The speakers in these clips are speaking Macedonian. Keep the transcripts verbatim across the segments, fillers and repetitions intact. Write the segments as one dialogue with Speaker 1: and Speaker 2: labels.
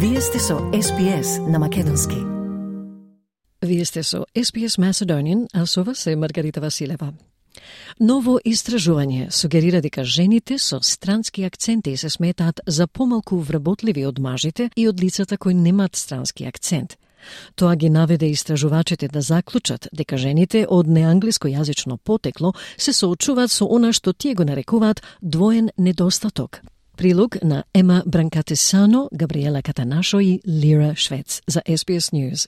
Speaker 1: Вие сте со Ес Би Ес на македонски. Вие сте со Ес Би Ес Macedonian, а со вас е Маргарита Василева. Ново истражување сугерира дека жените со странски акценти се сметаат за помалку вработливи од мажите и од лицата кои немаат странски акцент. Тоа ги наведе истражувачите да заклучат дека жените од неанглискојазично потекло се соочуваат со она што тие го нарекуваат двоен недостаток. Прилог на Ема Бранкатесано, Габриела Катанашо и Лира Швец за Ес Би Ес News.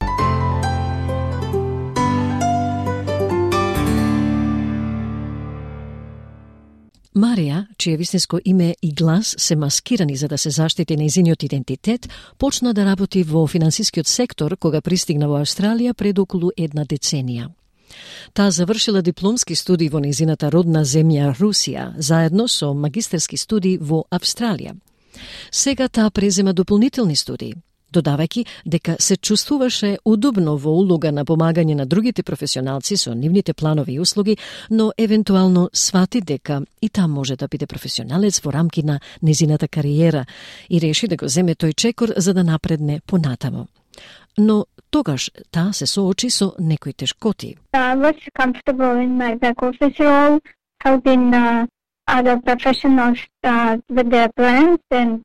Speaker 1: Марија, чие вистинско име и глас се маскирани за да се заштити нејзиниот идентитет, почна да работи во финансискиот сектор кога пристигна во Австралија пред околу една деценија. Таа завршила дипломски студии во нејзината родна земја Русија, заедно со магистерски студии во Австралија. Сега таа презема дополнителни студии, додавајќи дека се чувствуваше удобно во улога на помагање на другите професионалци со нивните планови и услуги, но евентуално свати дека и таа може да биде професионалец во рамки на нејзината кариера и реши да го земе тој чекор за да напредне понатамо. Но тогаш таа се соочи со некои тешкоти.
Speaker 2: I was comfortable in my back office role, helping uh, other professionals uh, with their plans and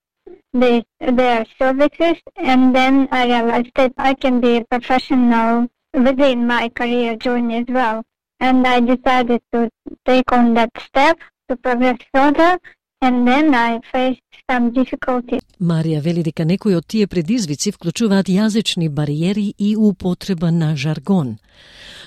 Speaker 2: they, their services, and then I realized that I can be a professional within my career journey as well. And I decided to take on that step to progress further, and then I faced some difficulties.
Speaker 1: Марија вели дека некои од тие предизвици вклучуваат јазични бариери и употреба на жаргон.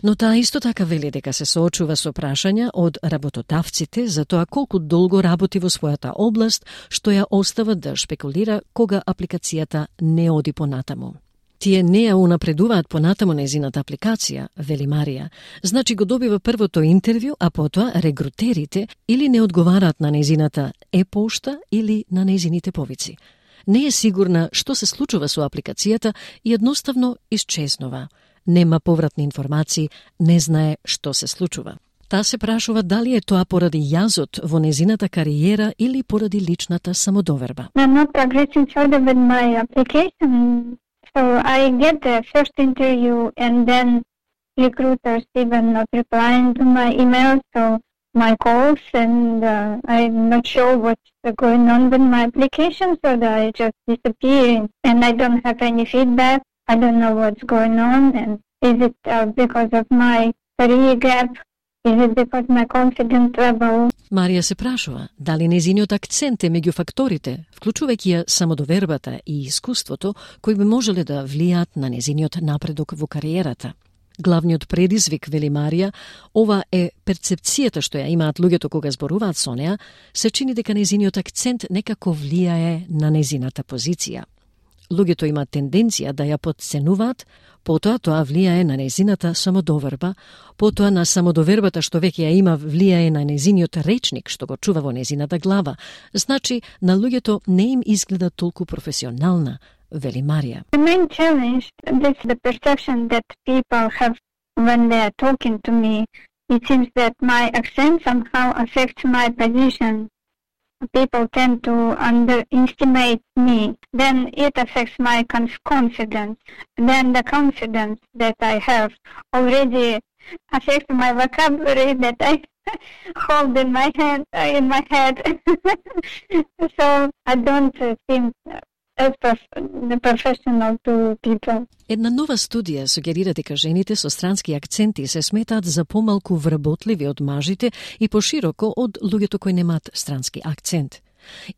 Speaker 1: Но таа исто така вели дека се соочува со прашања од работодавците за тоа колку долго работи во својата област, што ја остава да шпекулира кога апликацијата не оди понатаму. Тие не ја унапредуваат понатаму нејзината апликација, вели Марија, значи го добива првото интервју, а потоа регрутерите или не одговараат на нејзината е-пошта или на нејзините повици. Не е сигурна што се случува со апликацијата и едноставно исчезнува. Нема повратни информации, не знае што се случува. Таа се прашува дали е тоа поради јазот во нејзината кариера или поради личната самодоверба.
Speaker 2: I'm not progressing further with my application. So I get the first interview and then recruiters even not replying to my emails, so my calls, and uh, I'm not sure what's going on with my application, so that I just disappear and I don't have any feedback. I don't know what's going on, and is it uh, because of my career gap? Is it because my confidence level?
Speaker 1: Марија се прашува дали нејзиниот акцент е меѓу факторите, вклучувајќи ја самодовербата и искуството, кои би можеле да влијаат на нејзиниот напредок во кариерата. Главниот предизвик, вели Марија, ова е перцепцијата што ја имаат луѓето кога зборуваат со неа, се чини дека нејзиниот акцент некако влијае на нејзината позиција. Луѓето имаат тенденција да ја потценуваат, потоа тоа влијае на нејзината самодоверба, потоа на самодовербата што веќе ја има влијае на нејзиниот речник што го чува во нејзината глава. Значи, на луѓето не им изгледа толку професионална, вели Марија.
Speaker 2: The main challenge is the perception that people have when they are talking to me. It seems that my accent somehow affects my position. People tend to underestimate me. Then it affects my confidence. Then the confidence that I have already affects my vocabulary that I hold in my hand, uh, in my head. So I don't uh, seem as prof- professional to people.
Speaker 1: Една нова студија сугерира дека жените со странски акценти се сметаат за помалку вработливи од мажите и пошироко од луѓето кои немаат странски акцент.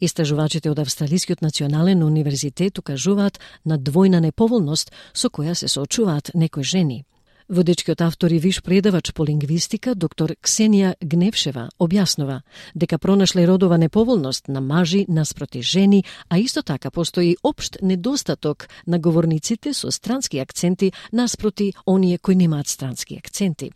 Speaker 1: Истражувачите од Австралискиот национален универзитет укажуваат на двојна неповолност со која се соочуваат некои жени. Водечкиот автор и виш предавач по лингвистика, доктор Ксенија Гневшева, објаснува дека пронашле родова неповолност на мажи наспроти жени, а исто така постои општ недостаток на говорниците со странски акценти наспроти оние кои немаат странски акценти.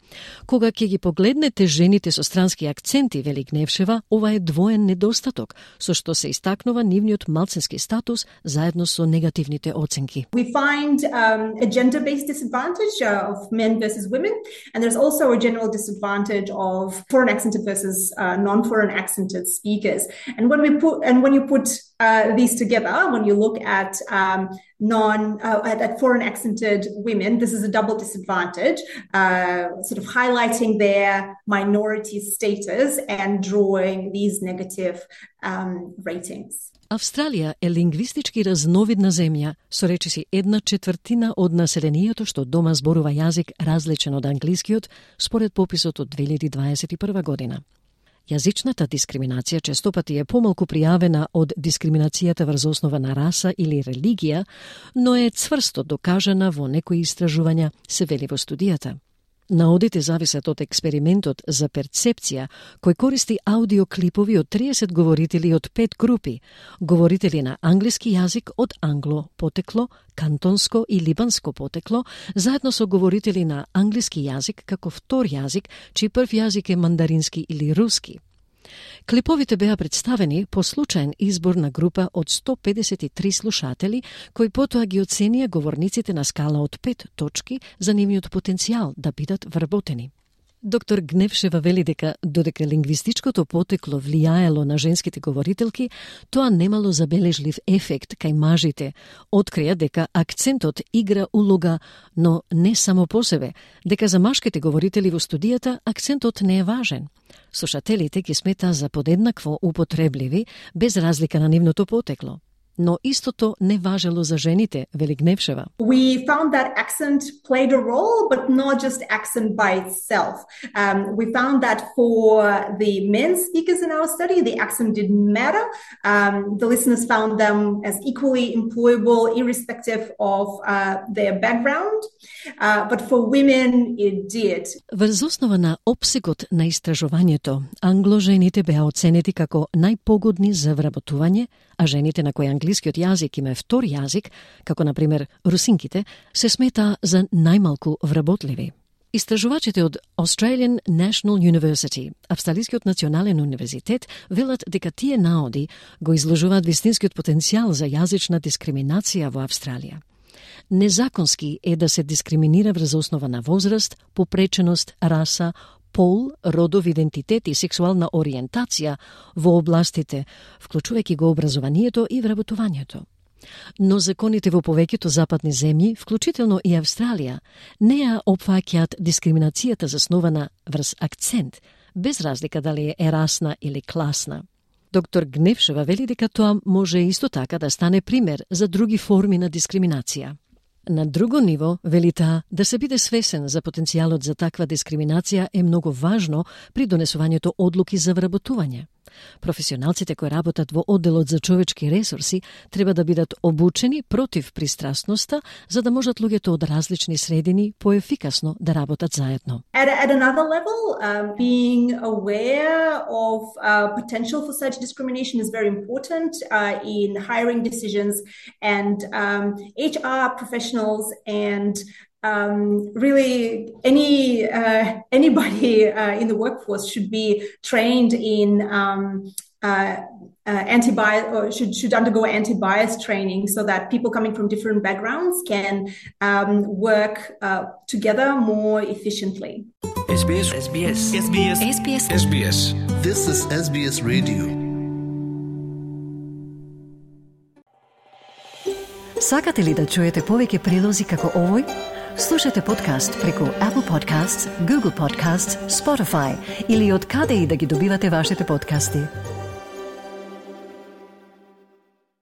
Speaker 1: Кога ќе ги погледнете жените со странски акценти, вели Гневшева, ова е двоен недостаток, со што се истакнува нивниот малцински статус заедно со негативните оценки.
Speaker 3: We find um, a gender-based disadvantage uh, of men versus women, and there's also a general disadvantage of foreign accented versus uh, non-foreign accented speakers. And when we put and when you put uh, these together, when you look at um, non uh, at, at foreign accented women, this is a double disadvantage, uh, sort of highlighting their minority status and drawing these negative um, ratings.
Speaker 1: Австралија е лингвистички разновидна земја, со речиси една четвртина од населението што дома зборува јазик различен од англискиот, според пописот од две илјади дваесет и прва година. Јазичната дискриминација честопати е помалку пријавена од дискриминацијата врз основа на раса или религија, но е цврсто докажана во некои истражувања, се вели во студијата. Наодите зависат од експериментот за перцепција, кој користи аудиоклипови од триесет говорители од пет групи, говорители на англиски јазик од англо потекло, кантонско и либанско потекло, заедно со говорители на англиски јазик како втор јазик, чиј прв јазик е мандарински или руски. Клиповите беа представени по случаен избор на група од сто педесет и три слушатели, кои потоа ги оценија говорниците на скала од пет точки за нивниот потенцијал да бидат вработени. Доктор Гневшева вели дека додека лингвистичкото потекло влијаело на женските говорителки, тоа немало забележлив ефект кај мажите. Открија дека акцентот игра улога, но не само по себе, дека за машките говорители во студијата акцентот не е важен. Слушателите ги смета за подеднакво употребливи, без разлика на нивното потекло. Но истото не важело за жените, вели Гневшева.
Speaker 3: We found that accent played a role, but not just accent by itself. Um, we found that for the men speakers in our study, the accent didn't matter. Um, the listeners found them as equally employable, irrespective of uh, their background. Uh, but for women, it did.
Speaker 1: Врз основа на опсегот на истражувањето, англожените беа оценети како најпогодни за вработување, а жените на кои англискиот јазик им е втор јазик, како на пример русинките, се смета за најмалку вработливи. Истражувачите од Australian National University, Австралискиот национален универзитет, велат дека тие наоди го изложуваат вистинскиот потенцијал за јазична дискриминација во Австралија. Незаконски е да се дискриминира врз основа на возраст, попреченост, раса, пол, родов идентитет и сексуална ориентација во областите, вклучувајќи го образованието и вработувањето. Но законите во повеќето западни земји, вклучително и Австралија, не ја опфаќаат дискриминацијата заснована врз акцент, без разлика дали е расна или класна. Доктор Гневшева вели дека тоа може исто така да стане пример за други форми на дискриминација. На друго ниво, вели таа, да се биде свесен за потенцијалот за таква дискриминација е многу важно при донесувањето одлуки за вработување. Професионалците кои работат во одделот за човечки ресурси треба да бидат обучени против пристрасноста, за да можат луѓето од различни средини поефикасно да работат заедно.
Speaker 3: At, at another level, um, being aware of uh, potential for such discrimination is very important uh, in hiring decisions, and um, H R professionals and Um, really, any uh, anybody uh, in the workforce should be trained in um, uh, uh, anti-bias, or should should undergo anti-bias training, so that people coming from different backgrounds can um, work uh, together more efficiently.
Speaker 4: S B S S B S S B S S B S S B S
Speaker 5: This is S B S Radio.
Speaker 1: Сакате ли да чуете повеќе прилози како овој? Слушате подкаст преку Apple Podcasts, Google Podcasts, Spotify или од каде и да ги добивате вашите подкасти.